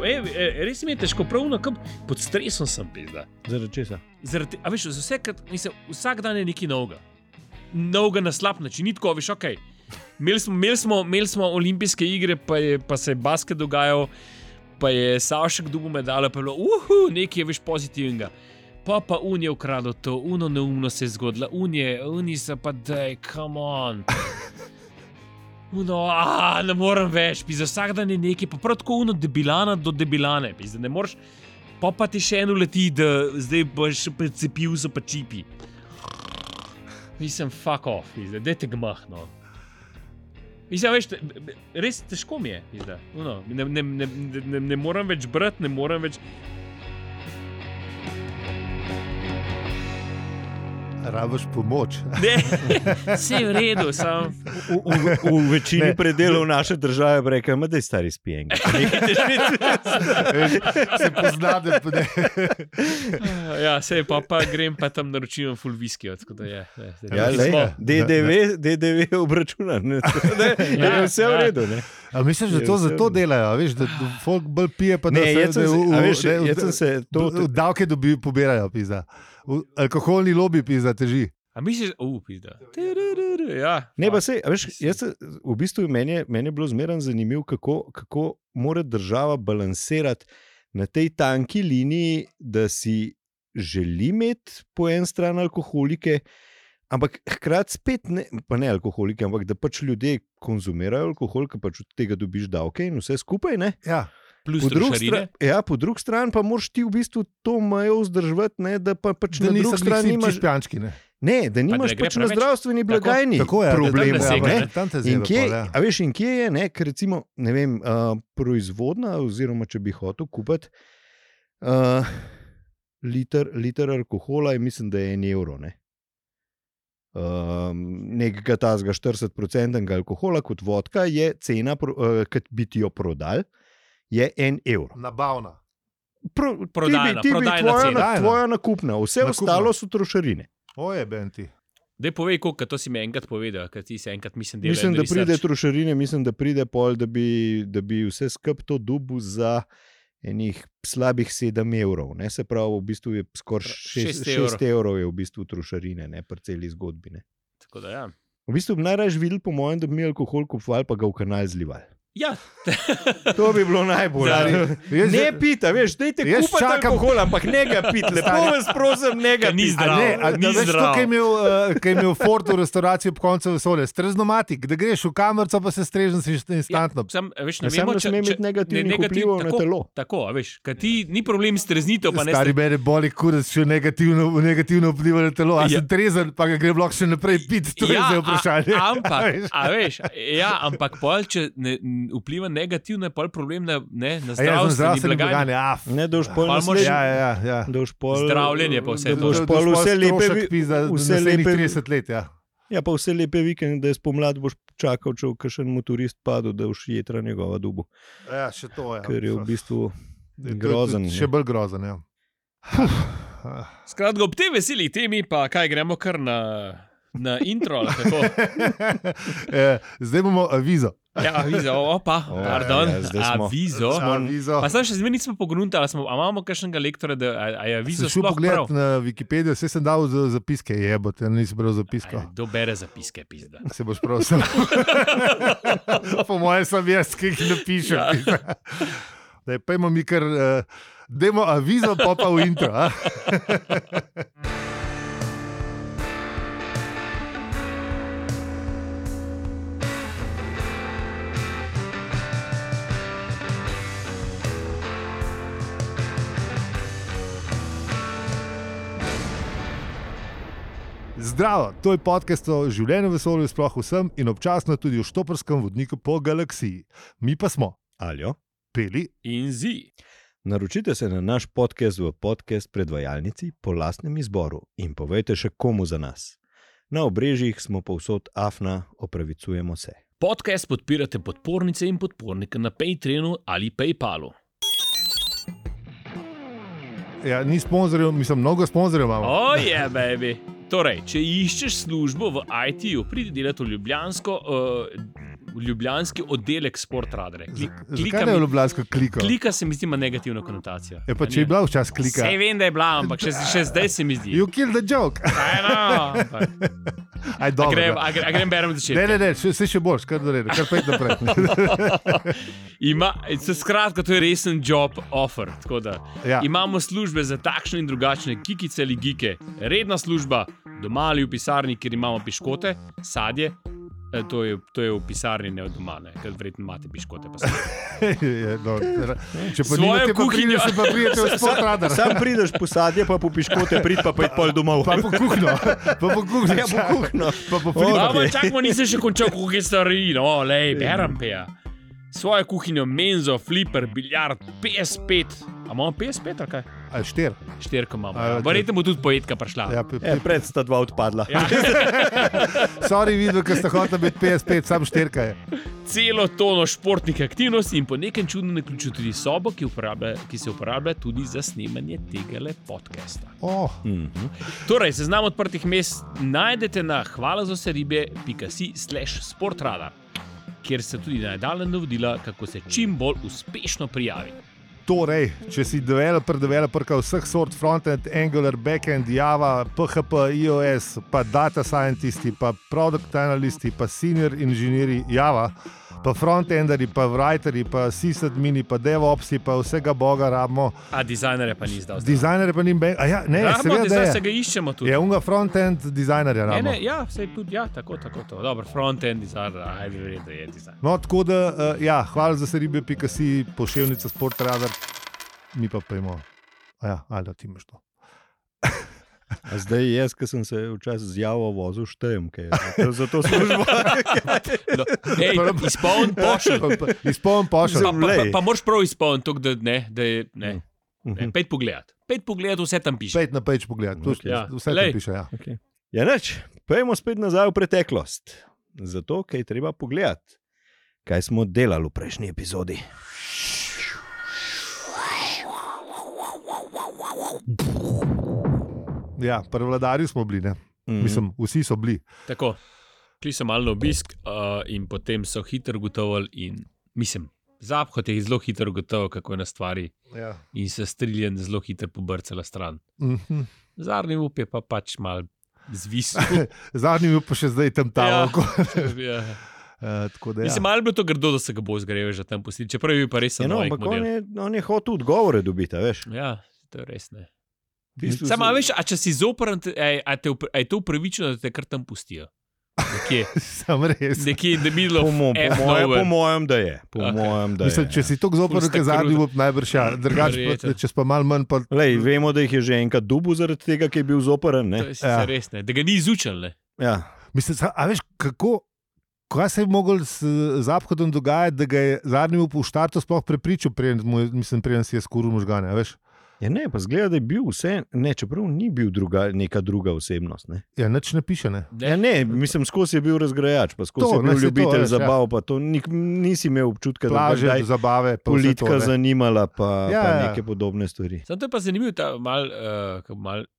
težko. Res mi je težko, pravno, pod stresom sem pizda. Zaradi česa? A veš, vsak dan je nekaj novega. Novega na slab način, ni tako, veš, okej. Imeli smo olimpijske igre, pa se je basket dogajal, pa je Savšek dobil medaljo, pa je bilo, nekaj je veš pozitivnega. Pa je ukradel to, neumno se je zgodilo, oni so pa daj, come on. Ne morem več, pizda, vsak dan je nekaj, pa prav tako debilana do debilane, pizda, ne moreš, pa ti še eno leti, da zdaj boš precepil so pa čipi. Mislim, fuck off, pizda, dajte gmah, no. Mislim, veš, res težko mi je, pizda, ne morem več brati, ne morem več... Rabiš pomoč. Ne, vse je v redu, sam. V večini predelov naše države reka, da je stari spijenga. Se pozna, da ne. Ja, sej pa grem pa tam naročim full whisky, tako da je. DDV obračunan. Vse v redu, ne. A misliš, da to zato delajo, veš, da folk bolj pije, pa da davke pobirajo, pizda. Alkoholni lobby, pizda, teži. A misliš, pizda. Ja. Ne, pa sej, veš, v bistvu meni je bilo zmeraj zanimivo, kako mora država balansirati na tej tanki liniji, da si želi imeti po en stran alkoholike, ampak hkrati spet ne alkoholike, ampak da pač ljudje konzumirajo alkohol, ker pač od tega dobiš davke in vse skupaj, ne? Ja. Plus trošarine. Po drugi strani pa moraš ti v bistvu to mejo vzdrževati, ne, da pa pač da na drugi strani nimaš špijančki, ne? Ne, da nimaš pač na zdravstveni blagajni problem. In kje je, ne, ker recimo, ne vem, proizvodna, oziroma če bi hotel kupiti liter alkohola, mislim, da je 1 evro, ne. Nekega tazga 40% alkohola kot vodka je cena, kad bi ti jo prodal, je 1 evro. Nabavna. Prodajna cena. Tvoja nakupna, vse ostalo so trošarine. Oje, Benti. Daj povej, koliko, to si mi enkrat povedal, ker ti se enkrat mislim delal. Mislim, da pride trošarine, mislim, da pride pol, da bi vse skup to dobil za enih slabih 7 evrov. Ne? Se pravi, v bistvu je skoraj 6 evrov je v bistvu trošarine, ne, pri celi zgodbi. Ne? Tako da ja. V bistvu bi najraje videli, po mojem, da bi mi alkohol kupovali, pa ga v kanal zlivali. Ja. To bi bilo najbolj. Ne pita, veš, dajte kupati alkohol, ampak ne ga piti. Lepo vas prosim, ne ga ni zdrav. Veš to, kaj je imel Ford v restauraciji ob koncu vesolja, streznomatik, da greš v kamerco, pa se strežen si instantno. Ne vemo, če imeti negativnih vplivov na telo. Tako, veš, kad ti ni problem streznitev, pa ne... Stari mene boli kurac, še negativno vpliva na telo, a sem trezen, pa ga gre blok še naprej piti, to je zdaj vprašanje. Ampak pol, če vpliva negativno, je pol problem na zdravstveni blagajni. Ne, da už pol zdravljenje pa vse to. Vse lepe 30 let, ja. Ja, pa vse lepe vikend, da je spomlad boš čakal, če kakšen motorist padel, da už jetra njegova dubu. Ja, še to je. Ker je v bistvu grozen. Še bolj grozen, ja. Skratka, ob tej veseli temi pa kaj gremo kar na intro, ali kako? Zdaj bomo avizo. Ja, avizo, pardon, avizo. Pa sem še zmeraj nismo pogruntali, a imamo kakšnega lektora, da je avizo sploh prav? Sem šel pogledat na Wikipedijo, vse sem dal zapiske, jebote, nisem bral zapisko. Kdo bere zapiske, pizda? Se boš prosil. Po mojem sem jaz, ki jih napišem. Pejmo mi kar, dajmo avizo, pa v intro. Zdravo, to je podcast o življenju v vesolju, sploh vsem in občasno tudi o štoprskem vodniku po galaksiji. Mi pa smo Aljo, Peli in Zi. Naročite se na naš podcast v podcast predvajalnici po lastnem izboru in povejte še komu za nas. Na obrežjih smo povsod afna, opravicujemo se. Podcast podpirate podpornice in podpornike na Patreonu ali Paypalu. Ja, ni sponzorjev, mislim, mnogo sponzorjev imamo. Oh yeah, baby. Torej, če iščeš službo v IT-ju, pridi delati v Ljubljansko, ljubljanski oddelek Sportradare. Zakaj ne je ljubljansko kliko? Klika se mi zdi ima negativno konotacijo. Je pa če je bila včasih klika. Sej vem, da je bila, ampak še zdaj se mi zdi. You killed the joke. Aj, dobro. A grem berem začetek. Ne, se še boš, kar naredi, kar pet naprej. Skratka, to je resen job offer. Tako da Ja. imamo službe za takšne in drugačne kikice ali gike. Redna služba, doma ali v pisarni, kjer imamo piškote, sadje. To je v pisarni, ne v doma, ker verjetno imate piškote. Če pa Svojo nimate, pa kuhinjo. prideš, pa pridete v Sportradar. Sam prideš po sadje, pa po piškote, prid pa pet pol domov. Pa po kuhno. Pa po kuhno. Ja, po kuhno. Pa po Okay. Ampak čakamo, nisem še končal kuhinje stvari, no, lej, berem peja. Svojo kuhinjo, menzo, flipper, biljard, PS5. A imamo PS5 ali kaj? Aj, 4. 4 imamo. A, Verjetno bo tudi poetka prišla. Ja, Pred sta dva odpadla. Ja. sorry, videl, ker ste hoteli biti 55, sam 4 je. Celo tono športnih aktivnosti in po nekem čudnem naključju tudi sobo, ki se uporablja tudi za snemanje tega podcasta. Oh, Torej, seznam odprtih mest najdete na hvalazoseribe.si/sportradar, kjer se tudi nadaljnja navodila, kako se čim bolj uspešno prijaviti. torej, če si developer vseh sort, frontend, Angular, backend, Java, PHP, iOS, pa data scientisti, pa product analisti, pa senior inženirji Java, pa frontenderi, pa writeri, pa sysadmini, pa devopsi, pa vsega boga rabimo. A dizajnerje pa ni zdal. Dizajnerje pa njim ja, ne, seveda, da se je. ga iščemo tudi. Je unga front-end dizajnerja rabimo. Ja, sej tudi, ja, tako to. Dobro, front-end dizajner, ajde, verjetno da je dizajner. No, tako da, ja, hvala za seribe.si, poševnica Sportradar, mi pa pojmo. Ja, ali ti imaš to. A zdaj jaz, ki sem se včasih z Javo vozil, štejem, kaj je za to službo. No, izpoln pošelj. Izpoln pošelj. Pa moraš prav izpolniti, da je 5 pogledati. 5 pogledati, vse tam piše. 5 na page pogled, vse tam piše, ja. Okay. Ja, neč, pojmo spet nazaj v preteklost. Zato, kaj je treba pogledati, kaj smo delali v prejšnji epizodi. Ja, pri vladarju smo bili, ne? Mislim, vsi so bili. Tako, šli so malo na obisk in potem so hitro ugotovili in mislim, Zaphod je zelo hitro ugotovil, kako je na stvari in se striljen zelo hitro pobrcala stran. Zadnji up je pa pač mal zvisel. Zadnji up pa še zdaj tam tako. Ja. Tako da, ja. Mislim, malo bi to grdo, da se ga bo zgrejel že tam pustiti, čeprav je pa res samo ampak on je hotel odgovore dobiti, veš. Ja, to je res ne. Samo, veš, a če si zoprn, je to upravičeno, da te kar tam pustijo? Nekje. Sam res. Nekje in the middle of Po mojem, da je. Mislim, če si tako zoprn, da zadnji bo najbrž ja. Drugače, če pa malo manj pa... Lej, vemo, da jih je že enkrat dubu zaradi tega, ki je bil zoprn, ne? To je res ne. Da ga ni izučil, ne? Ja. Mislim, a veš, kaj se je mogel s Zaphodom dogajati, da ga je zadnji v štartu sploh prepričal, preden si je skuril možgane, veš? Ja ne, pa zgleda, da je bil vse, ne, čeprav ni bil neka druga osebnost, ne? Ja, nič ne piše, ne? Ja ne, mislim, skozi je bil razgrajač, pa skozi je bil ljubitelj zabav, pa to nisi imel občutka, plaže, da bi zabave, politika zanimala, pa neke podobne stvari. Zato je pa zanimiv ta mal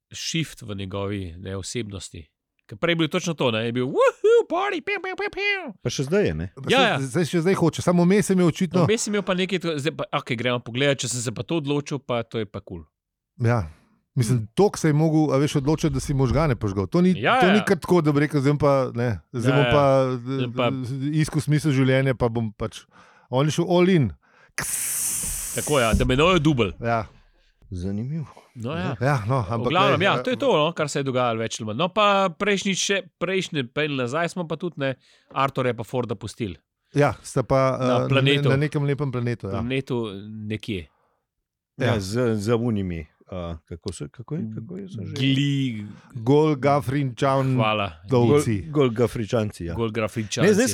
shift v njegovi osebnosti. Prej je bil točno to, ne? Je bil woohoo, party, piu, piu, piu, piu. Pa še zdaj je, ne? Ja. Zdaj hoče, samo vmes je imel očitno. Vmes je imel pa nekaj, ok, gremo pogledati, če sem se pa to odločil, pa to je pa kul. Ja, mislim, tok se je mogel, a veš, odločiti, da si možgane požgal. To ni kar tako, da bi rekel, zdaj bom pa iskal smisel življenja, pa bom pač, on je šel all in. Tako ja, da menojo dubl. Ja. Zanimivo. No, ja. Ampak glavnem, ja, to je to, no, kar se je dogajalo več ali manj. No, pa prejšnji pel nazaj smo pa tudi, ne, Artur je pa Forda pustili. Ja, sta pa planetu. Na nekem lepem planetu. Ja. Planetu nekje. Ja, za unimi. Kako je že? Golgafrinčan. Hvala. Golgafričanci, ja. Golgafričanci.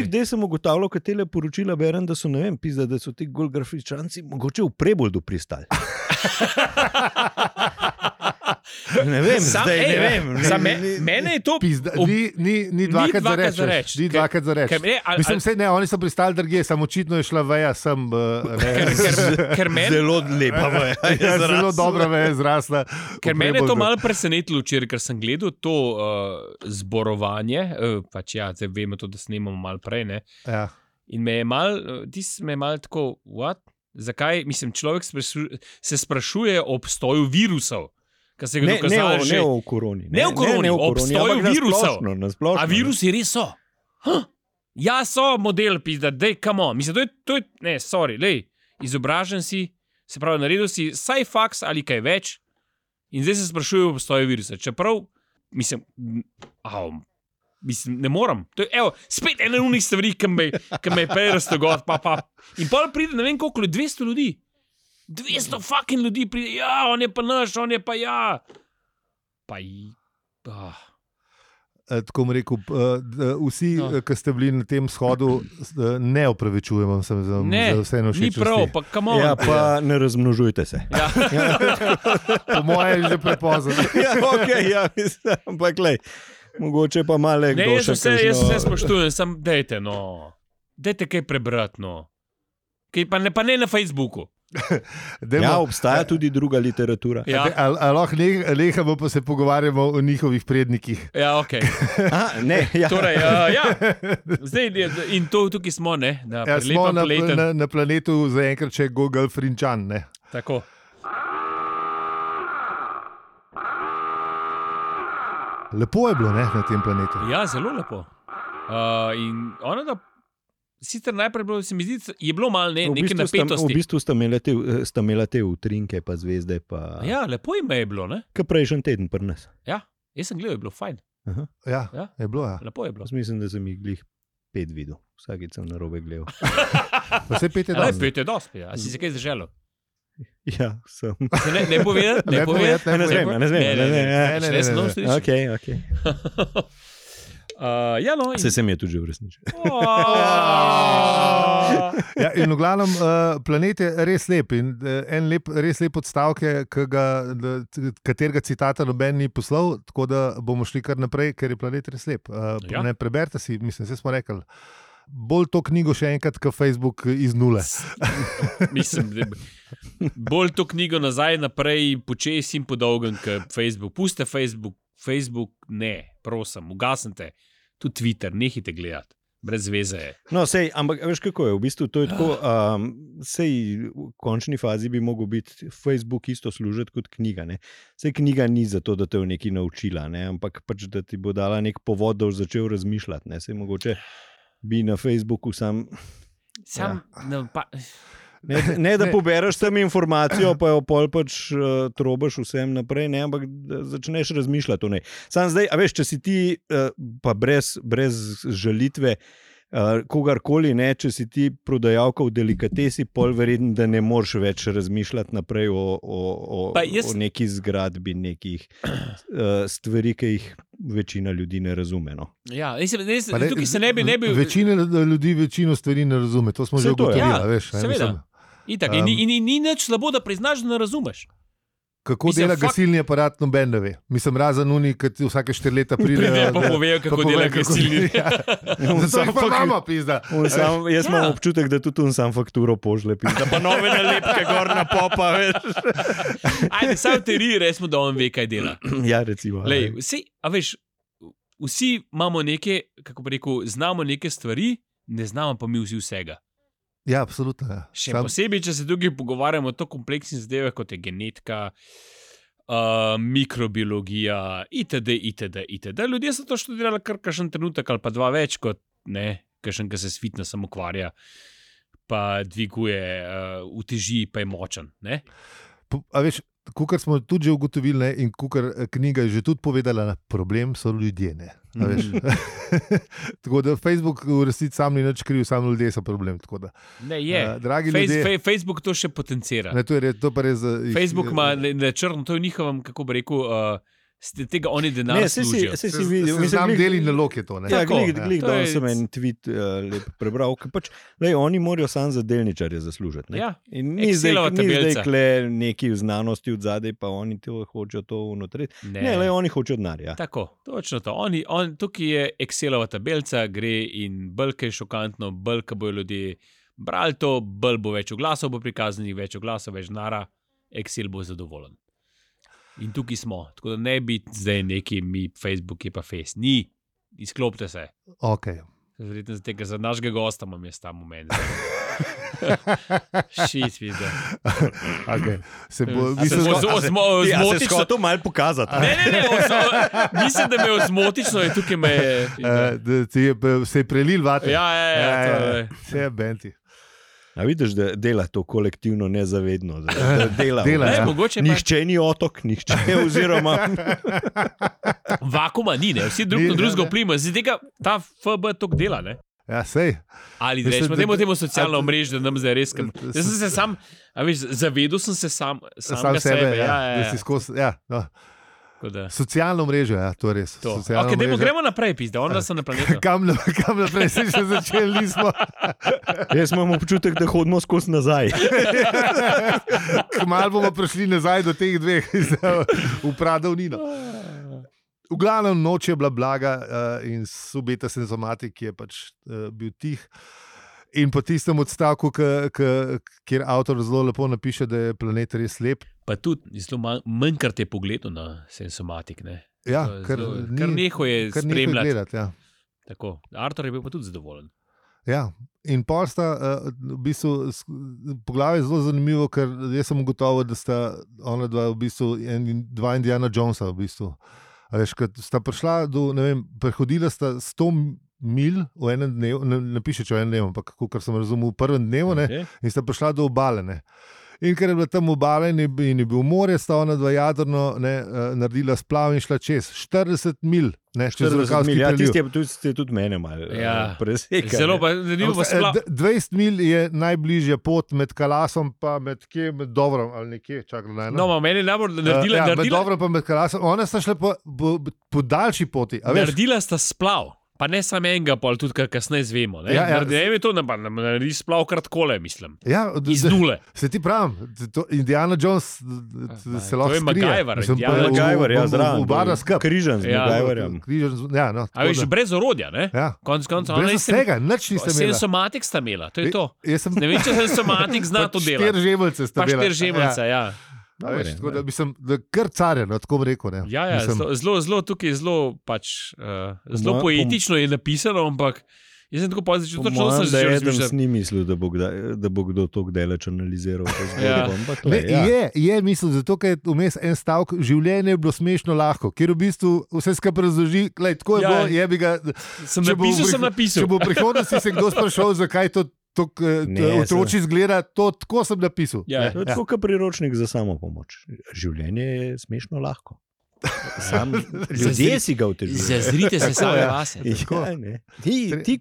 Zdaj sem ugotavljal, kad tele poročila berem, da so, ne vem, pizda, da so ti golgafričanci mogoče v Preboldu pristali. Ne vem, zdaj ne vem. Mene je to Ni dvakrat za reč. Ni dvakrat za reč. Mislim, oni so pristali drugje, samo očitno je šla veja sem. Zelo lepa veja. Zelo dobra veja zrasla. Ker mene je to malo presenetilo včeraj, ker sem gledal to zborovanje, pač ja, zdaj vemo to, da snemamo malo prej, ne? Ja. In me je malo tako, what? Zakaj? Mislim, človek se sprašuje o obstoju virusov. Ne o koroni. Ne o koroni, o obstoju virusov. Nasplošno, a virusi res so? Ja, so model, pizda, dej, come on. Mislim, to je, ne, sorry, lej, izobražen si, se pravi, naredil si saj faks ali kaj več in zdaj se sprašuje o obstoju virusa. Čeprav, mislim, ne moram. To je, spet ena unih stvari, ki me je prej raztogod, In pol pride, ne vem koliko, 200 ljudi. 200 fucking ljudi pride, ja, on je pa naš, on je pa ja. Tako bom rekel, vsi, ki ste bili na tem shodu, ne opravičujemo se za vse nevšečnosti. Ni prav, pa come on. Ja, pa ne razmnožujte se. Ja. Po moje je že prepozno. Ja, okej, ja, mislim, ampak glej. Mogoče pa malo kdo še kakšno... Jaz vse spoštujem, sam dejte, no. Dejte kaj prebrati, no. Pa ne na Facebooku. Ja, obstaja tudi druga literatura. Ja. Lahko nehamo pa se pogovarjamo o njihovih prednikih. Ja, okej. Ne, ja. Torej, ja. Zdaj, in tukaj smo, ne. Smo na planetu zaenkrat še Google Frinčan, ne. Tako. Lepo je bilo, ne, na tem planetu. Ja, zelo lepo. In ono, da sicer najprej bilo, se mi zdi, je bilo malo neke napetosti. V bistvu sta imela te utrinke, pa zvezde. Pa... Ja, lepo ime je bilo, ne? Kaj prejšnji teden pri nas. Ja, jaz sem gledal, je bilo fajn. Ja, je bilo, ja. Lepo je bilo. Mislim, da sem jih glih 5 videl. Vsakič sem narobe gledal. Vse 5 je dosti. 5 je dosti, ja. A si se kaj zaželil? Ja, sem. Ne povedati? Ne smem. Ok. Ja, no. Se sem je tudi že uresničil. Ja, in v glavnem, planet je res lep in res lep odstavek, katerega citata noben ni poslal, tako da bomo šli kar naprej, ker je planet res lep. Ne preberite si, mislim, vse smo rekli. Bolj to knjigo še enkrat, kot Facebook iz nule. Mislim, bolj to knjigo nazaj, naprej, počes in podolgen, kot Facebook. Puste Facebook, ne, prosim, ugasnite. Tudi Twitter, nehite gledati. Brez veze je. No, sej, ampak veš kako je, v bistvu to je tako, sej v končni fazi bi mogel biti Facebook isto služiti kot knjiga, ne. Sej knjiga ni zato, da te je nekaj naučila, ne, ampak pač, da ti bo dala nek povod, da boš začel razmišljati, ne, sej mogoče bi na Facebooku ne da pobereš tam informacijo, pa jo pol pač trobaš vsem naprej, ne, ampak da začneš razmišljati o njej. Sam zdaj, a veš, če si ti pa brez žalitve kogarkoli, ne, če si ti prodajalka v delikatesi, pol verjetno, da ne moreš več razmišljati naprej o neki zgradbi, nekih stvari, ki jih večina ljudi ne razume. No. Ja, tukaj se ne bi... Večina ljudi večino stvari ne razume, to smo že ugotovili, veš. Seveda. Itak, in ni nič slabo, da priznaš, da ne razumeš. Kako dela gasilni aparat, noben ne ve. Mislim, razen oni, ki vsake 4 leta pridejo. Pa povejo, kako dela gasilni. Zato jih pa imamo, pizda. Jaz imam občutek, da tudi on sam fakturo pošle, pizda. Pa nove nalepke gor na popa, veš. Ajde, saj v teoriji resmo, da on ve, kaj dela. Ja, recimo. Lej, vsi imamo neke, kako bi rekel, znamo neke stvari, ne znamo pa mi vsi vsega. Ja, absolutno. Ja. Še posebej, če se tukaj pogovarjamo o to kompleksnih zadevah, kot je genetika, mikrobiologija, itd. Ljudje so to študirali kar kakšen trenutek ali pa 2 več, kot ne, kakšen, ki se s fitnessom ukvarja, pa dviguje, uteži, pa je močen. Ne? A veš, kukor smo tudi že ugotovili, ne, in kukor knjiga je že tudi povedala, problem so ljudje, ne. Tako da Facebook v resnici sam ni nič kriv, samo ljudje so problem. Ne, je. Facebook to še potencira. Ne, to pa res, Facebook ima črno, to je njihovem, kako bi rekel, tega oni denar služijo. Se si videl, Znam deli nalog je to. Ne? Ja, Tako, glih, to je- sem en tweet lep prebral, ker pač, oni morajo samo za delničarje zaslužiti. Ne? Ja, In ni zdaj Excelova tabelica. kle neki v znanosti od zadaj, pa oni to hočejo to unotriti. Ne, oni hočejo denar. Ja. Tako, točno to. Tukaj je Excelova tabelica, gre in bolj je šokantno, bolj ko bojo ljudje brali to, bolj bo več oglasov, bo prikazanih več oglasov, več denarja, Excel bo zadovoljen. In tukaj smo, tako da ne biti zdaj neki mi, Facebook je pa Face. Ni, izklopite se. Okay. Verjetno za tega, za našega gosta imam jaz ta moment. Šit, vidiš. Okay. Se bo, A se Se hotel malo pokazati. Ne, mislim, da me je ozmotično in tukaj me je. se je prelil vate. Ja, to je. Vse je benti. A vidiš, da dela to kolektivno nezavedno. Da dela. Dela, ja. Mogoče pa Nihče ni otok, nihče oziroma vakuma ni, ne? Vsi drug Ni, na drugega ne. vplivamo, zdaj tega ta FB tok dela, ne? Ja, sej. Ali Mislim, rečemo, da- dajmo temu socialno a- omrežje, da nam zdaj res kam. Jaz sem se sam, a veš, zavedel sem se Sam samega sebe, sebe. da si skozi. Ja, no. Tako da- Socialno mrežo, ja, to je res. To. Socialno Okay, dajmo, omrežje. gremo naprej, pizda, onda sem na planetu. Kam naprej, se še začeli nismo. jaz imam občutek, da hodimo skozi nazaj. Kmalu bomo prišli nazaj do teh dveh, v pradavnino. V glavnem noč je bila blaga in subeta senzomatik je pač bil tih. In po tistem odstavku, kjer avtor zelo lepo napiše, da je planet res lep. Pa tudi zelo manjkrat je pogledal na sensomatik, ne? Ja, To je kar zelo- ni- kar neho je kar neho spremljati. gledati, ja. Tako. Artur je bil pa tudi zadovoljen. Ja, in pol sta v bistvu poglavje zelo zanimivo, ker jaz sem ugotovil, da sta ona dva v bistvu dva Indiana Jonesa v bistvu. A veš, ko sta prišla do, ne vem, prehodila sta 100 mil v enem dnevu, ne piše, če v enem dnevu, ampak kar sem razumel, v prvem dnevu, ne, Okay. in sta prišla do obale. Ne. In ker je bila tam obala in je bil morje, sta ona dva jadrno naredila splav in šla čez 40 mil. Ne, čez 40 Rokavski mil, ja, preliv. tisti je tudi mene malo Ja. presekal. Zelo pa zanimivo pa splav. 20 mil je najbližja pot med Kalasom pa med Dobrom ali nekje, čakaj na eno. No, meni je najbolj naredila, Med naredila, Dobrom pa med Kalasom. Ona sta šla po daljši poti. A veš, naredila sta splav. Pa ne samo enega, pa tudi kar kasneje zvemo. Ja, ja. Ne je to, da naredi splav kratkole, mislim. ja, Iz nule. Se ti pravim, Indiana Jones se lahko to je skrije. MacGyver, Mislim, Indiana v- MacGyver, ja, v- v- zraven. v barna skup. Križan z Ja. MacGyverjem. Ja, no, A veš, brez orodja, ne? ja. Konc koncev, Brez vsega, nič niste imeli. Sensomatik sta imela, to je to. Jaz sem Ne vem, če sensomatik zna to delati. 4 žemeljce sta Pa imela. 4 žemeljce, ja. A veš, tako da mislim, da kar carje, no, tako bi rekel. Ne. Ja, Mislim, zelo tukaj je zelo pač, zelo mojem- poetično je napisano, ampak jaz sem tako pozitivno, Po točno sem mojem, že da eden razmišljal. ni mislil, da bo kdo to daleč analiziral. To Ja. zgodbo, ampak to Ne, je, je mislil, zato ker je vmes en stavek, življenje je bilo smešno lahko, kjer v bistvu vse skupaj razloži, glej, tako je Ja. bilo, je bi ga. Sem če bo v napisal, sem prih- napisal. Če bo v prihodnosti se kdo sprašal, zakaj to Ne, otroci izgleda, to tako sem napisal. Ja. To je tako kot priročnik za samo pomoč. Življenje je smešno lahko. Sam, ljudje si ga otežujejo. Zazrite se Tako, sami ja. vase. Ja, ne. Ti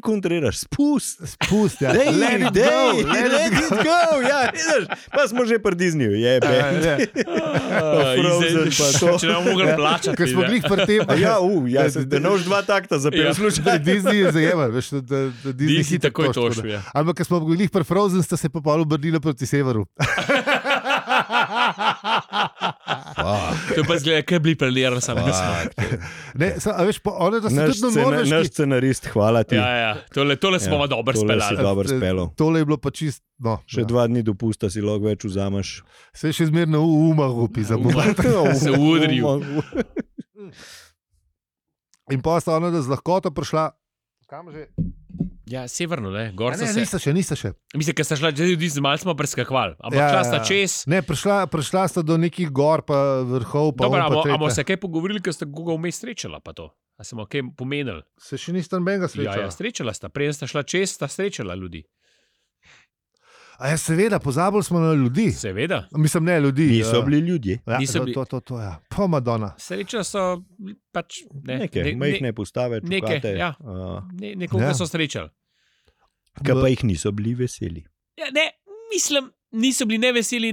kontriraš, spust. Spust, ja. Let Let it go. Ja, vidiš, pa smo že pri Disneyju, jebe. Frozen pa to. Če ne bomo mogli plačati. Ker smo ne. glih pri tem. Ja, da nož dva takta zapel, Ja. slušaj. Disney je zajemal, veš, da Disney Disney hitro takoj točko, tožil, da. ja. Ampak, ker smo bili pri Frozen, sta se pa pol obrnila proti severu. To je pa zgleda, kaj bi prelirali samega smo. Ne, a veš, one, da so tudi na Naš Norveški. scenarist, hvala ti. Ja, tole smo Ja, dobro tole si speljali. dobro spelo. Tole je bilo pa čist, no. Še 2 dni dopusta si lahko več vzameš. Se je še zmerno v umahu pisamo. Se udril. In pa sta ona, da z lahkoto prišla. Kam že? Ja, severno, ne, gor so Ne, se. nista še. Mislim, ker sta šla, že ljudi z malce smo preskakvali. Ampak šla sta čez. Ne, prišla sta do nekih gor, pa vrhov, pa Dobro, on, pa amo tretje. se kaj pogovorili, ker sta koga vmes srečala pa to? A smo kaj pomenili? Se še nista nobenega Ja, srečala. srečala sta. Preden sta šla čez, sta srečala ljudi. A ja, seveda, pozabili smo na ljudi. Seveda. Mislim, ne ljudi. Niso bili ljudje. Ja, Niso bili. to, ja. Pa Madonna. Srečala so pač Nekaj, majhne postave, neke, čukate. ja. Nekoga Ja. so srečali. Kaj pa jih niso bili veseli. Ja, ne, mislim, niso bili ne veseli,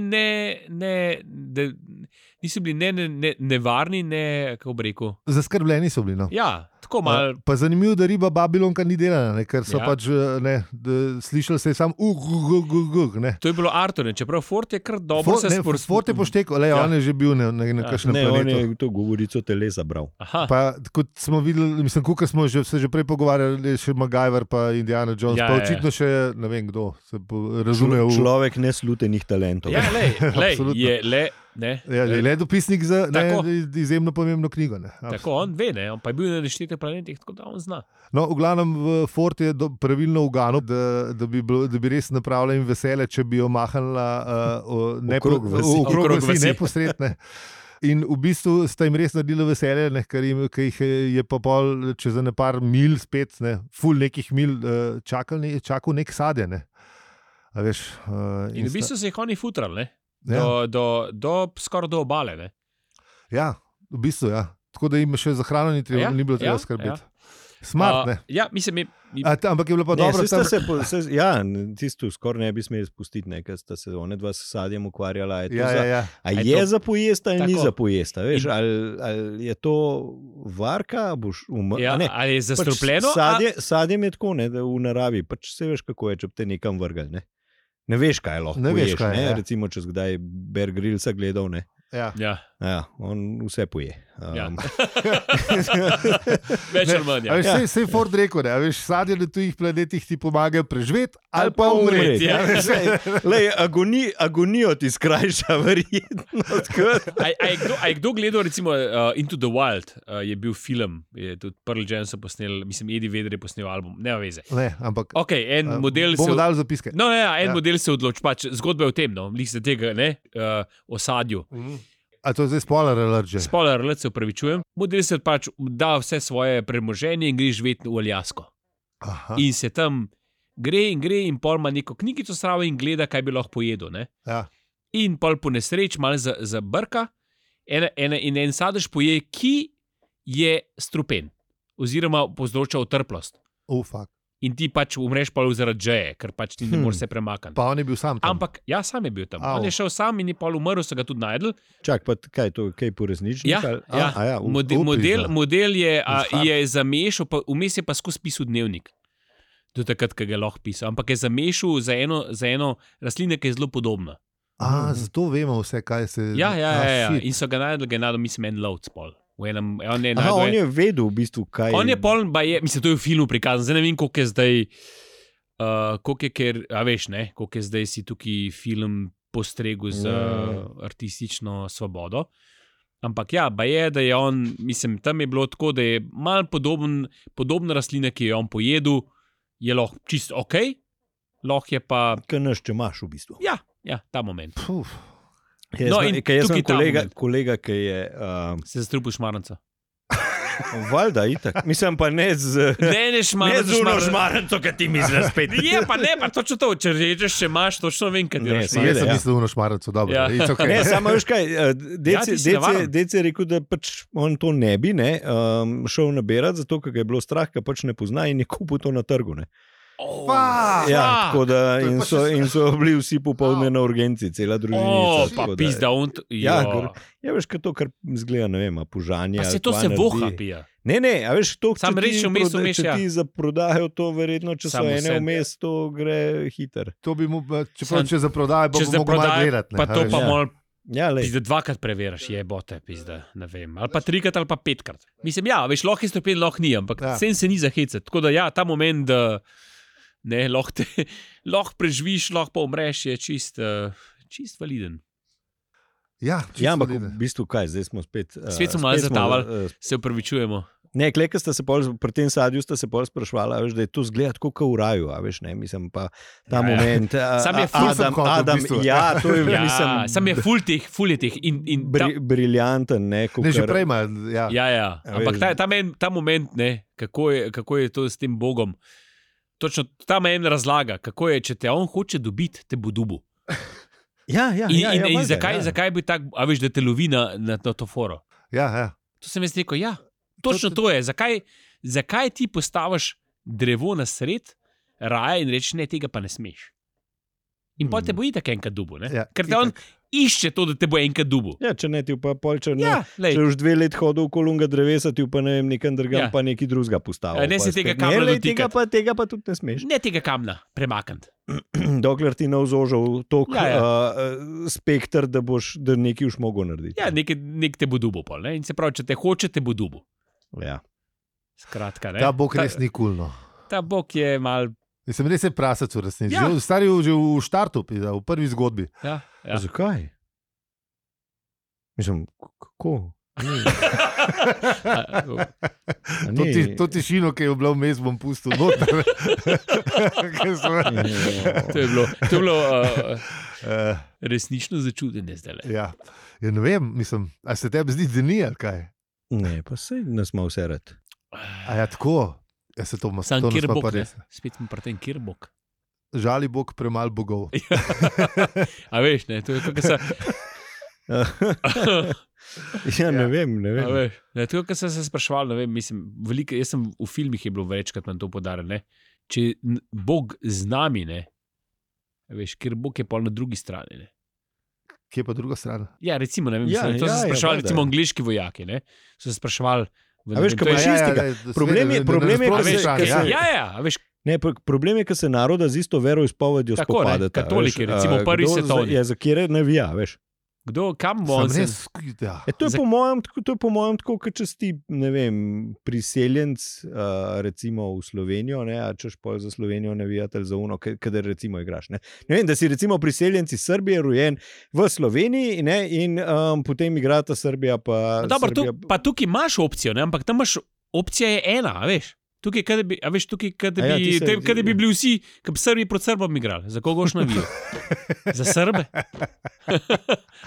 niso bili ne nevarni, ne, kako bi rekel. Zaskrbljeni so bili. No. Ja, tako malo. Pa zanimivo, da riba Babilonka ni delana, ne, ker so Ja. pač slišali se je sam ne. To je bilo Artur, čeprav Ford je kar dobro se sporočil. Ford je poštekal, Ja. on je že bil na kakšnem Ne, on planetu. je to govorico telesa bral. Aha, Pa, kot smo videli, mislim, ko smo se že prej pogovarjali, še MacGyver pa Indiana Jones, Ja, pa ja. očitno še ne vem kdo se razume v... Človek neslutenih talentov. ja, lej, Absolutno. je le, ne. Ja, le dopisnik za Tako. izjemno pomembno knjigo. Ne. Tako on ve, ne, on pa je bil na neštetih planetih, tako da on zna. No, v glavnem, Ford je pravilno uganil, da bi res napravila jim veselje, če bi jo mahnila Okrog vasi. Okrog vasi. neposredne. In v bistvu sta jim res naredila veselje, ne, ker jih je pa pol čez ne par mil spet, ne, ful nekih mil čakal nek sadje. Ne. A veš, In v bistvu se jih oni futrali, ne. ja. Skoraj do obale, ne. Ja, v bistvu, ja. Tako da jim še za hrano ni ni bilo treba skrbeti. Smart, ne. Ja, mislim, Ampak je bilo pa dobro, da se tisto skoraj ne bi smeli spustiti, ker sta se one dva s sadjem ukvarjala. Ja. A je je to- za pojesta ali ni Tako. za pojesta? Veš, ali je to varka, boš umrl? ja, ali je zastrupljeno, Sadjem je tako, ne, da v naravi, pač se veš, kako je, če bi te nekam vrgal. Ne veš, kaj lahko Ne veš, poješ. kaj je, ja. Recimo, če si kdaj Bear Grillsa gledal, ne. Ja. Ja, Ja, on vse poje. Ja. več ali manj. Ja. Sej Ford rekel, da sadje na tujih planetih ti pomagajo preživeti ali pa umreti. Ja. Lej, agonijo ti skrajša, verjetno. A je kdo gledal, recimo, Into the Wild, je bil film, je tudi Pearl Jam so posneli, mislim, Eddie Vedder je posnel album, nema veze. Ne, ampak Ok, en model se... bomo dali zapiske. No, ja, en Ja. model se odloči, pač zgodba je o tem, no, lih se tega, ne, osadju. A to je zdaj spoiler alert že? Spoiler, se upravičujem. Model se pač da vse svoje premoženje in gre živeti v Aljasko. Aha, In se tam gre in pol ima neko knjigico zraven in gleda, kaj bi lahko pojedel. Ne? ja. In pol po nesreč malo zabrka in en sadež poje, ki je strupen oziroma povzroča utrplost. Fuck. In ti pač umreš pol zaradi džeje, ker pač ti ne moreš se premakniti. Pa on je bil sam tam. Ampak ja, sam je bil tam. Au. On je šel sam in je pol umrl, so ga tudi najdel. Čak, pa kaj je to, kaj poresničnik? Ja, ali- ja. A, ja, Model je, Fakt. je zamešal, pa vmes je pa skozi pisal dnevnik. Do takrat, ko ga je lahko pisal. Ampak je zamešal za eno rastlino, ki je zelo podobna. Zato vemo vse, kaj se Ja. shit. In so ga najdel, mislim, en lovc pol. On je, Aha, najdel, on je vedel v bistvu, kaj on je pol, mislim, to je v filmu prikazano. Zdaj ne vem, koliko je zdaj, koliko je, ker, a veš, ne, koliko je zdaj si tukaj film postregel z artistično svobodo. Ampak ja, da je on, mislim, tam je bilo tako, da je mal podobna rastlina, ki jo je on pojedel, je lahko čisto ok, lahko je pa, Kaj naš, če imaš v bistvu. ja, ta moment. Puf. No, in Jaz sem tukaj ta moment. kolega, ki je Se zastrupil šmaranca. valjda itak. Mislim pa ne z... Ne, šmaranca. šmaranco, ki ti misliš spet. Je pa ne, pa točno to, če rečeš, še imaš, točno vem, kaj Ne, delaš. seveda, Jaz sem ja. mislil, da je šmaraco dobro. Ja. It's okay. Ne, samo veš kaj, ti si navaren. Dec je rekel, da pač on to ne bi šel nabirati, zato ker ga je bilo strah, ker pač ne pozna in je kupil to na trgu. Ne. Fuck. Ja, tako da To je pa še in so bili vsi popoldne na urgenci, cela družina. Pa pizda, on. Ja, ja, veš, kaj to, kar zgleda, ne vem, pužanje. Pa se to se voha pija. Ne, a veš, to, Sam reči vmes, če ja. ti zaprodajo to, verjetno, če so Samo ene sen. vmes, to gre hiter. To bi mu, če za prodajo, pa Če bi se mogel malo prodaja, gledati. pa to pa Ja. mol, Ja, lej. pizda, dvakrat preveriš, je bote, pizda, ne vem. Ali pa trikrat, ali pa petkrat. Mislim, ja, veš, lahko je stopen, lahko ni, ampak Ja. sen se ni zahecati. Tako da ja, ta moment, da ne, lahko preživiš, lahko pa umreš, je čist validen. Ja, Ja, ampak v bistvu kaj, zdaj smo spet. Spet smo malo zatavali. Se upravičujemo. Ne, kleka sta se pol, pri tem sadju sta se pol sprašvala, veš, da je to zgleda tako kot v raju, a veš, ne, mislim pa ta Ja, ja. moment. Sam je ful sem hotel, v Adam, bistvu. ja, to je, Ja, mislim, sam je ful je teh in briljanten, ne, Ne, že prej ima. Ja. Ja, ampak veš. ta moment, ne, kako je to s tem Bogom. Točno ta meni razlaga, kako je, če te on hoče dobiti, te bo dubu. Ja, In zakaj bi tako, a veš, da te lovi na to foro. Ja. To sem jaz rekel, ja, točno to je. Zakaj ti postaviš drevo na sred raja in rečeš, ne, tega pa ne smeš? In pa te bo itak enkrat dubu, ne? Ja, Ker te on išče to, da te bo enkrat dubu. Ja, če ne ti pa polče, Ja, lej. če už 2 let hodil v kolunga drevesa, ti pa ne vem, nekam drugam, Ja. pa neki drugega postavil. Ne se tega Ne, kamna lej, dotikati. tega pa tudi ne smeš. Ne tega kamna premakniti. Dokler ti ne vzožil toliko Ja, spektr, da nekaj už mogo narediti. Ja, nek te bo dubu pol, ne? In se pravi, če te hoče, te bo dubu. Ja. Skratka, ne? Ta bog res ni kulno. Ta bog je mal... Mislim, res je prasac v resnici. Ja. Že v štartu, v prvi zgodbi. Ja. Zakaj? Mislim, kako? To tišino, ki je bila vmes, bom pustil noter. To je bilo resnično začudenje zdaj. Ja, ne vem, mislim, a se tebi zdi, da ni ali kaj? Ne, pa se nas ima vse rad. A ja, tako. Ja, se to Sam to kjer nas pa bog, pa ne? res. Spet smo pri tem, kjer bog. Žali Bog premalo bogov. A veš, ne, to je to, kar se... Ja, ne vem. A veš, ne, to je, kar sem se spraševal, ne vem, mislim, veliko, jaz sem v filmih je bilo večkrat nam to podarjeno, ne. Če Bog z nami, ne, a veš, ker Bog je pol na drugi strani, ne. Kje pa druga stran? Ja, recimo, ne vem, Ja, to so se spraševali, valjda. recimo angleški vojaki, ne, so se spraševali, A veš, kaj pa čistega? Problem je, a ker veš, se- ja, a veš, Ne, problem je, ker se naroda z isto veroizpovedjo Tako, ne, spopadata. katoliki, veš, recimo prvi kdo svetovni. Je za kjer navija, veš. kdo, kam bo Sam on se... res, ja. To je po mojem tako, kot če si, ne vem, priseljenc, recimo v Slovenijo, ne, a češ pol za Slovenijo navijati ali za uno, kadar recimo igraš. Ne vem, da si recimo priseljenci Srbije rojen v Sloveniji, ne, in potem igrata Srbija pa Dobro, Srbija. pa tukaj imaš opcijo, ne? Ampak tam imaš opcija je ena, a veš. Tukaj, kad bi, a veš, tukaj, kad A ja, bi, ti se- kad bi bili vsi, kad bi Srbi proti Srbom igrali. Za koga boš navijal? Za Srbe?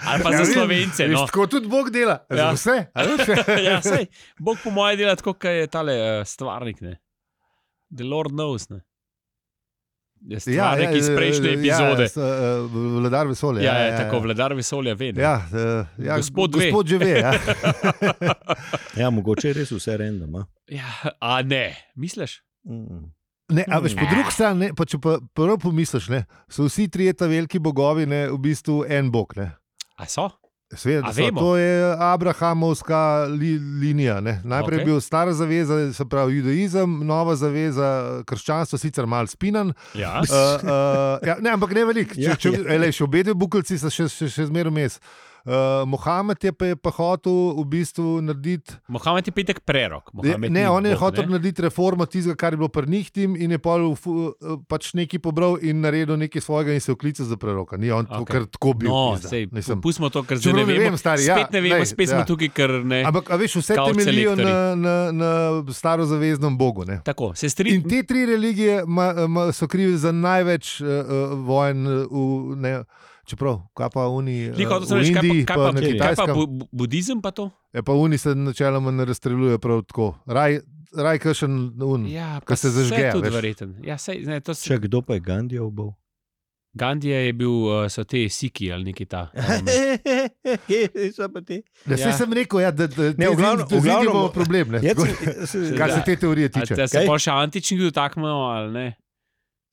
Ali pa za vem, Slovence, veš, no. tako tudi Bog dela. Ja. Za vse. a veš? Ja, sej, Bog po moje dela tako, kot je tale stvarnik, ne. The Lord knows, ne. Je stvarnik iz prejšnje epizode. Vladar vesolja. Ja, tako, vladar vesolja ve, ne. Ja, Gospod ve. Gospod že ve. Ja. Ja, mogoče je res vse random. Ja, a ne, misliš? Ne, a veš, po drugi strani, pa če pa prvo pomisliš, ne, so vsi trije ta veliki bogovi, ne, v bistvu en bog. Ne. A so? Sveda, A vemo? to je Abrahamovska linija. Ne. Najprej je bil stara zaveza, se pravi judaizem, nova zaveza, krščanstvo, sicer malo spinan. Ja. Ja, ne, ampak ne veliko. Ja, Še obedve bukeljci so še zmeraj vmes. Mohamed je pa hotel v bistvu narediti. Mohamed je petek prerok. Mohamed Ne, ni on je bog, hotel ne. narediti reformo tistega, kar je bilo pri njih tim, in je pač nekaj pobral in naredil nekaj svojega in se vklical za preroka. Ni on Okej. kar tako bil. No, pizda. sej, Mislim. pustimo to, ker zdaj Čeprav ne ne vemo. vem, stari, ja, Spet ne vemo, glej, spet smo ja. tukaj, ker ne. Ampak, a veš, vse Kaut temeljijo selektorji. na starozaveznem bogu. Ne? Tako, se In strinjam. te tri religije so krive za največ vojn čeprav, kaj pa oni v Indiji, pa na Kaj pa Kitajskem. budizem pa to? Pa oni se načeloma ne razstreljujejo prav tako. Raj kakšen Ja, Ko se zažge, vse tudi veš. verjeten. Ja, sej, ne, to se... Če kdo pa je Gandija ubal? Gandija je bil, so te siki ali neki ta. So pa ti. Da, Ja. sem rekel, ja, da Ne, v glavnem- v glavnem v glavnem- imamo problem. Ne? Kar se te teorije tiče. Da se Kaj? pa še antičnih dotaknemo ali ne?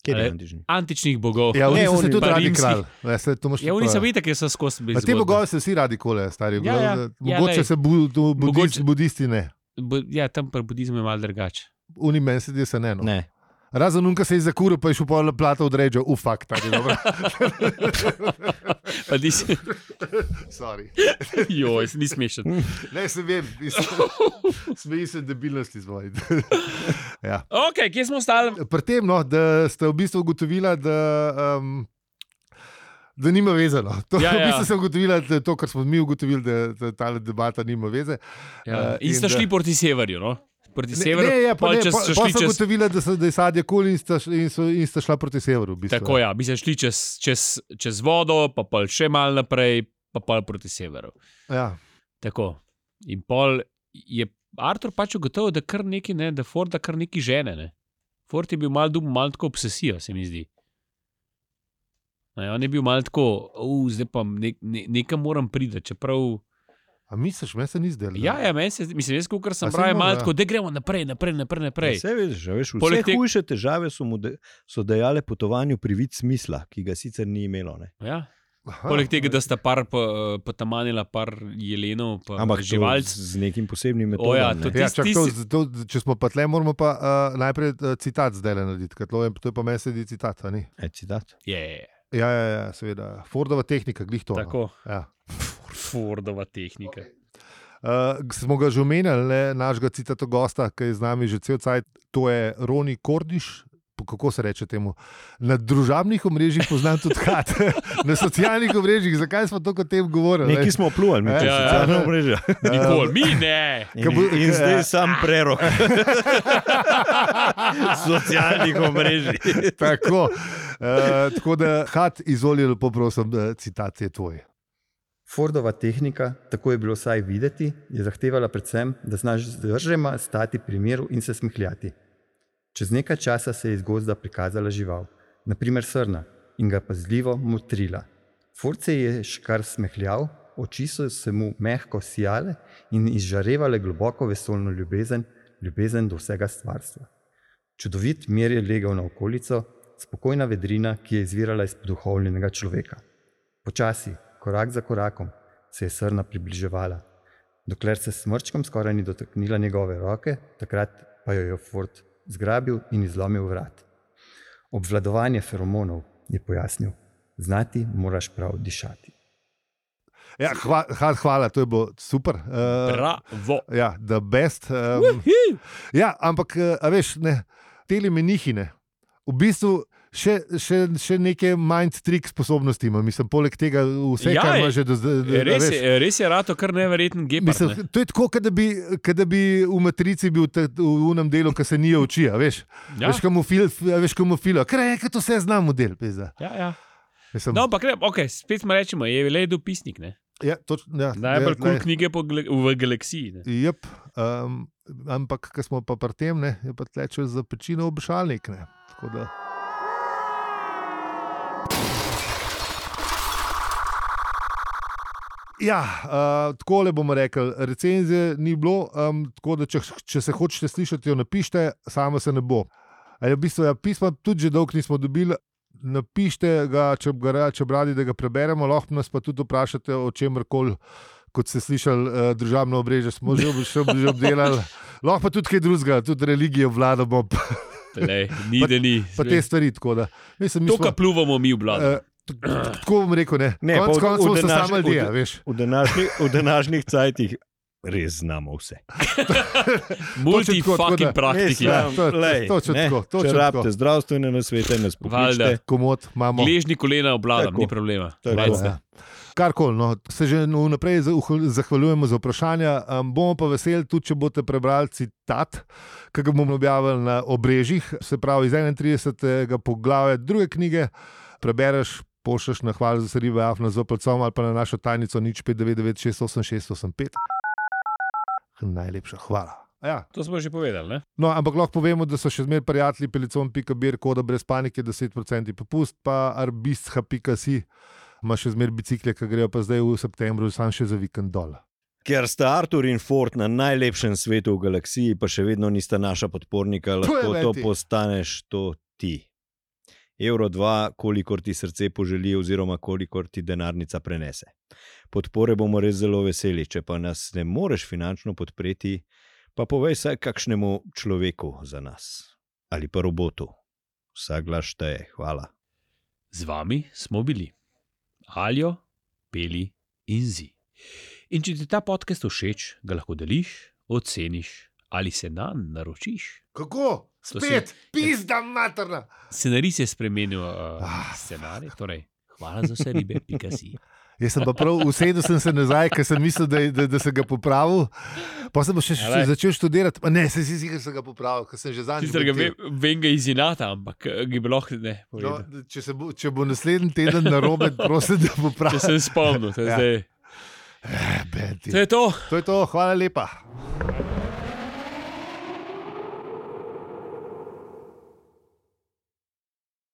Kje je Ali- antični? Antičnih bogov. Ja, oni Ne, so se oni- tudi pa radi rimskih. kralj. Ja, se, to imaš Ja, oni prav. so videli, ker so skozi bili. Pa te bogovi se vsi radi kole, stari. Ja, ja. Mogoče lej. se Mogoče- budisti ne. Ja, tam pri budizmu je malo drugače. Oni meni se zdi, se ne. No. Ne. Razen unka se je zakuril, pa je šel pol plata određal. Fakt, tako je dobro. Pa ti si, Sorry. joj, ni smešen. Ne, se vem, smeji se debilnosti zvoj. Ja. Ok, kje smo ostali? Pri tem, no, da ste v bistvu ugotovila, da nima veze. No. To, Ja, v ja. bistvu sem ugotovila, da to, kar smo mi ugotovili, da ta debata nima veze. Ja. In in sta da- šli proti severju, no? Proti severu. Ne, pol čez- so šli sem čez- ugotovila, da je sadje kul in sta šla proti severu. V bistvu. Tako ja, bi se šli čez vodo, pa pol še malo naprej, pa pol proti severu. Ja. Tako. In pol je Artur pač ugotovil, da kar neki, ne, da Forda kar neki žene. Ne. Ford je bil malo tako obsesijo, se mi zdi. Ne, on je bil malo tako, zdaj pa nekam moram priti, čeprav. A misliš, meni se ni zdelo? Ja, meni se, mislim, jaz, kot sem A bral, saj malo možno, tako, da gremo naprej. Vse veš, vse Poleg tega- hujše težave so dajale potovanju privid smisla, ki ga sicer ni imelo. Ne? Ja. Aha, Poleg tega, da sta potamanila par jelenov, pa Ampak živalc. z nekim posebnim metodom. ja, ne. to Ja, Tisti- čak, če smo pa tle, moramo pa najprej citat zdaj narediti, ker to je pa meni sedi citat. A ni? Citat. Je, Ja, seveda. Fordova tehnika, glih to. no. tako. Ja. Fordova tehnika. Smo ga že omenjali, ne, našega citata gosta, ki je z nami že cel cajt, to je Roni Kordiš. Kako se reče temu? Na družabnih omrežjih poznam tudi Hat, na socialnih omrežjih. Zakaj smo to kot tem govorili? Nekaj smo pljuvali, mi Ja, čez ja, socialna ja. omrežja. Nikoli, mi ne. In zdaj sam prerok socialnih omrežij. Tako da, Hat, izvoli lepo prosim, citat je tvoj. Fordova tehnika, tako je bilo vsaj videti, je zahtevala predvsem, da znaš zdržema stati pri miru in se smehljati. Čez nekaj časa se je iz gozda prikazala žival, naprimer srna, in ga pazljivo motrila. Ford se je še kar smehljal, oči so se mu mehko sijale in izžarevale globoko vesoljno ljubezen do vsega stvarstva. Čudovit mir je legal na okolico, spokojna vedrina, ki je izvirala iz poduhovljenega človeka. Počasi, korak za korakom, se je srna približevala, dokler se s smrčkom skoraj ni dotaknila njegove roke, takrat pa jo je Ford zgrabil in izlomil vrat. Obvladovanje feromonov, je pojasnil, znati moraš prav dišati. Ja, hvala, to je bilo super. Bravo. Ja, the best. Ja, ampak, a veš, ne, tele menihine, v bistvu še neke mind trick sposobnosti ima. Mislim, poleg tega vse, Ja, kar je- ima že do zdaj. Res je rato kar neverjeten gepard. Mislim, to je tako, kot da bi v Matrici bil v unem delu, ki se nije oči, a veš. Ja. Veš, komu filo. Ker je, to vse znam model. Ja. Mislim, No, ampak okay, spet smo rečemo, je le dopisnik. Ne? ja, ja, Najbolj kul ne, knjige v galaksiji. Ne? Jep, ampak, ko smo pa pri tem, ne, je pa tleče za pečino obešalnik. Ne. Tako da. Ja, tako le bomo rekli, recenzije ni bilo, tako da če se hočete slišati, jo napišite, samo se ne bo. V bistvu, ja, pisma tudi že dolgo nismo dobili, napišite ga, če bi radi, da ga preberemo, lahko nas pa tudi vprašate o čemrkoli, kot ste slišali, državno obrežje smo že obdelali, lahko pa tudi kaj drugega, tudi religijo vladamo, Ni, da ni. pa te stvari. Tako da, mislim, mi To, smo- kar pluvamo mi v blatu. Tako bom rekel, ne. Ne, Konec pa v koncev smo današnji- samo ljudje, veš. V današnjih cajtih res znamo vse. Multi-fucking praktiki. Ja, točno tako, Če točno tako. rabite zdravstvene nasvete, nas pokličite. Valjda. Komod imamo. Gležni kolena obladam, Tako. ni problema. Tako. Recite. Ja. Karkoli, no, se že vnaprej zahvaljujemo za vprašanja. Bomo pa veseli, tudi če boste prebrali citat, ki ga bomo objavili na obrežjih, se pravi iz 31. poglavja druge knjige. Prebereš, pošlješ na hvala za seribe Afna z opelcom ali pa na našo tajnico 0599686685. Najlepša hvala. Ja. To smo že povedali. Ne? No, ampak lahko povemo, da so še zmeraj prijatelji pelicon.bir, koda brez panike, 10% popust, pa arbistha.si ima še zmeraj bicikle, ki grejo pa zdaj v septembru, sam še za vikend dol. Ker sta Artur in Ford na najlepšem svetu v galaksiji, pa še vedno nista naša podpornika, To je lahko to leti. postaneš to ti. Euro 2, kolikor ti srce poželi, oziroma kolikor ti denarnica prenese. Podpore bomo res zelo veseli, če pa nas ne moreš finančno podpreti, pa povej vsaj kakšnemu človeku za nas ali pa robotu. Vsak glas šteje, hvala. Z vami smo bili Aljo, Peli in Zi. In če ti ta podcast všeč, ga lahko deliš, oceniš ali se nanj naročiš. Kako? To Spet, pizda materna. Scenarij se je spremenil, scenarij, torej hvala za vse ribe, pika si. Jaz sem pa prav usedel sem se nazaj, ker sem mislil, da sem ga popravil. Pa sem pa še Alej. začel študirati. Ne, sem si sicer sem ga popravil, ker sem že zadnjič. Sicer ga letel. vem ga iz inata, ampak ga bi lahko ne No, povedal. če bo naslednji teden narobe, prosim, da Če popravim. sem spomnil, to je Ja. zdaj. Benti. To je to. To je to, hvala lepa.